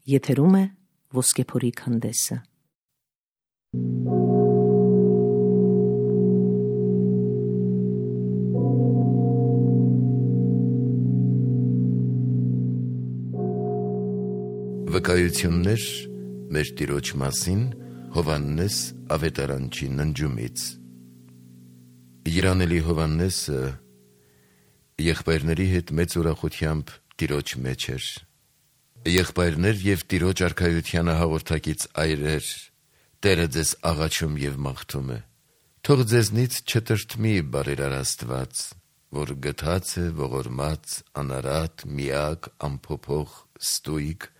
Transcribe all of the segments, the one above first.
Եթերում է Ոսկեփորի քանդեսը։ Վկայություններ մեր Տիրոջ մասին Հովհաննես ավետարանչի ննջումից։ Երանելի Հովհաննեսը եղբայրների հետ մեծ ուրախությամբ Տիրոջ մեջ էր։ Եղբայրներ եւ Տիրոջ արքայությանը հաղորդակից այրեր, Տերը ձեզ աղաչում եւ մաղթում է։ Թող ձեզնից չտրտմի բարերար Աստված, որ գթած է, ողորմած, անարատ, միակ, անփոփոխ, ստույգ,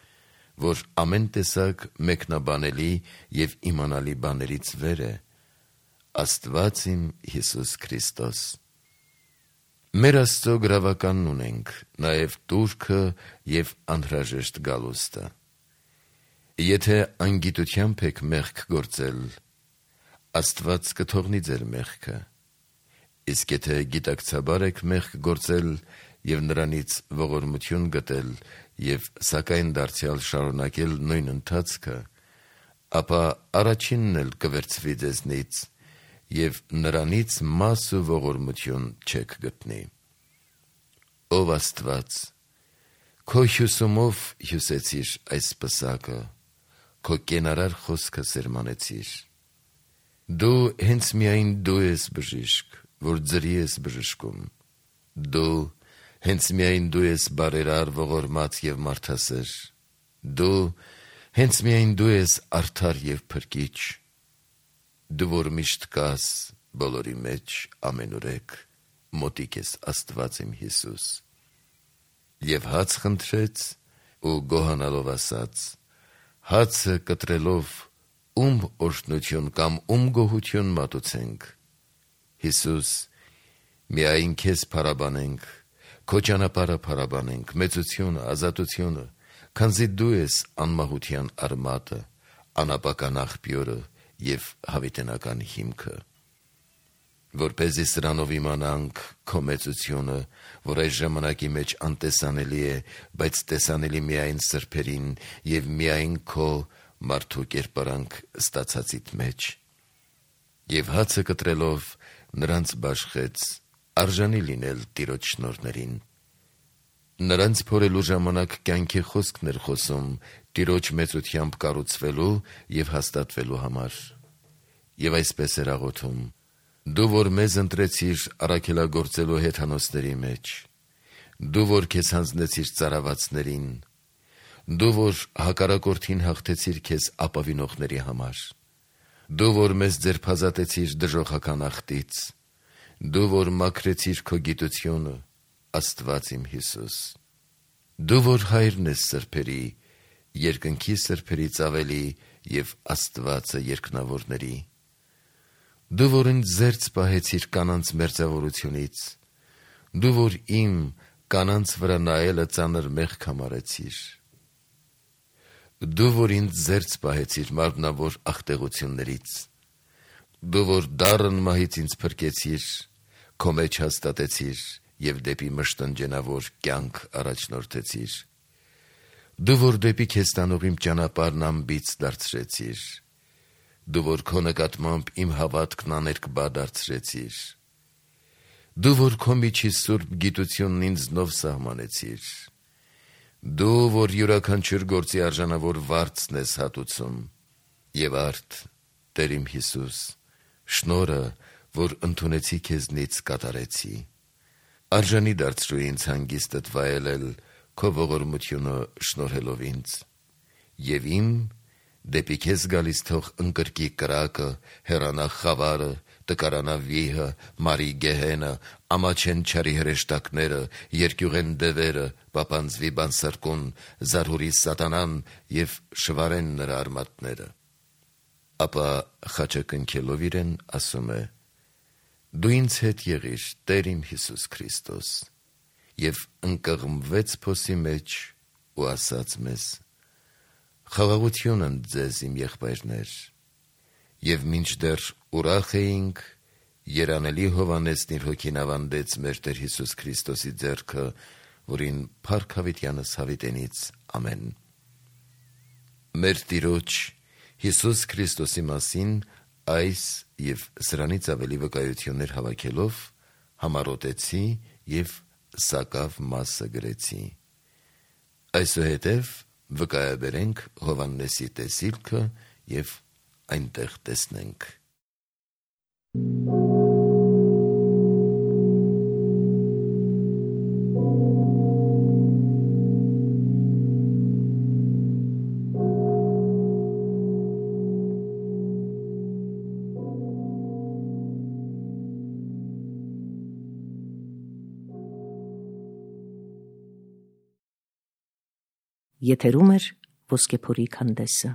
որ ամեն տեսակ մեկնաբանելի եւ իմանալի բաներից վեր է, Աստված իմ Հիսուս Քրիստոս։ Մեր Աստծո գրավականն ունենք, նաեւ տուրքը եւ անհրաժեշտ գալուստը։ Եթե անգիտությամբ եք մեղք գործել, Աստված կթողնի ձեր մեղքը, իսկ եթե գիտակցաբար եք մեղք գործել եւ նրանից ողորմություն գտել եւ սակայն դարձյալ շարունակել նույն ընթացքը, ապա առաջինն էլ կվերցվի ձեզնից եւ նրանից մաս ու ողորմություն չեք գտնի։ Ով Աստված, քո հյուսումով հյուսեցիր այս պսակը, քո կենարար խոսքը սերմանեցիր։ Դու հենց միայն դու ես բժիշկ, որ ձրի ես բժշկում։ Դու հենց միայն դու ես բարերար, ողորմած եւ մարդասեր։ Դու հենց միայն դու ես արդար եւ փրկիչ։ Դու որ միշտ կաս բոլորի մեջ ամենուրեք, մոտիկ ես Աստված իմ Հիսուս։ Եվ հաց խնդրեց ու գոհանալով ասաց. հացը կտրելով ում օրհնություն կամ ում գոհություն մատուցենք։ Հիսուս, միայն քեզ փառաբանենք, քո ճանապարհը փառաբանենք, մեծությունը, ազատությունը, քանզի դու ես անմահության արմատը, անապական աղբյուրը եւ հավիտենական հիմքը։ Որպեսզի սրանով իմանանք քո մեծությունը, որ այս ժամանակի մեջ անտեսանելի է, բայց տեսանելի միայն սրբերին եւ միայն քո մարդու կերպարանք ստացածիդ մեջ։ Եվ հացը կտրելով նրանց բաշխեց, արժանի լինել Տիրոջ շնորհներին։ Նրանց փորելու ժամանակ կյանքի խոսքն էր խոսում Տիրոջ մեծությամբ կառուցվելու եւ հաստատվելու համար։ Եվ այսպես էր աղոթում. Դու որ մեզ ընտրեցիր առաքելագործելու հեթանոսների մեջ, դու որ քեզ հանձնեցիր ծարավացներին, դու որ հակառակորդին հաղթեցիր քեզ ապավինողների համար, դու որ մեզ ձերբազատեցիր դժոխական աղտից, դու որ մաքրեցիր քո գիտությունը, Աստված իմ Հիսուս։ Դու որ հայրն ես սրբերի, երկնքի սրբերից ավելի եւ Աստվածը երկնավորների։ Դու որ ինձ զերծ պահեցիր կանանց մերձավորությունից, դու որ իմ կանանց վրա նայելը ծանր մեղք համարեցիր։ Դու որ ինձ զերծ պահեցիր մարմնավոր աղտեղություններից, դու որ դառն մահից ինձ փրկեցիր, քո մեջ հաստատեցիր եւ դեպի մշտնջենավոր կյանք առաջնորդեցիր։ Դու որ դեպի քեզ տանող իմ ճանապարհն անբիծ դարձրեցիր, դու որ քո նկատմամբ իմ հավատքն աներկբա դարձրեցիր, դու որ քո միջի սուրբ գիտությունն ինձնով սահմանեցիր, դու որ յուրաքանչյուր գործի արժանավոր վարձն ես հատուցում, եւ արդ, Տեր իմ Հիսուս, շնորհը, որ ընդունեցի քեզնից կատարեցի։ Արժանի դարձրու ինձ հանգիստդ վայելել քո ողորմությունը շնորհելով ինձ, եւ իմ դեպի քեզ գալիս թող ընկրկի կրակը, հեռանա խավարը, տկարանա վիհը, մարի գեհենը, ամաչեն չարի հրեշտակները, երկյուղեն դևերը, պապանձվի բանսարկուն, զարհուրի սատանան եւ շվարեն նրա արմատները։ Ապա խաչը կնքելով իրեն ասում է. Դու ինձ հետ եղիր, Տեր իմ Հիսուս Քրիստոս, եւ ընկղմվեց փոսի մեջ ու ասաց մեզ. Խաղաղություն ձեզ իմ եղբայրներ, եւ մինչդեռ ուրախ էինք, երանելի Հովհաննեսն իր հոգին ավանդեց մեր Տեր Հիսուս Քրիստոսի ձեռքը, որին փառք հավիտյանս հավիտենից ամեն։ մեր Տիրոջ Հիսուս Քրիստոսի մասին այս և սրանից ավելի վկայություններ հավաքելով համառոտեցի և սակավ մասը գրեցի։ Այսուհետև վկայաբերենք Հովհաննեսի տեսիլքը և այնտեղ տեսնենք։ Եթերում է Ոսկեփորի քանդեսը։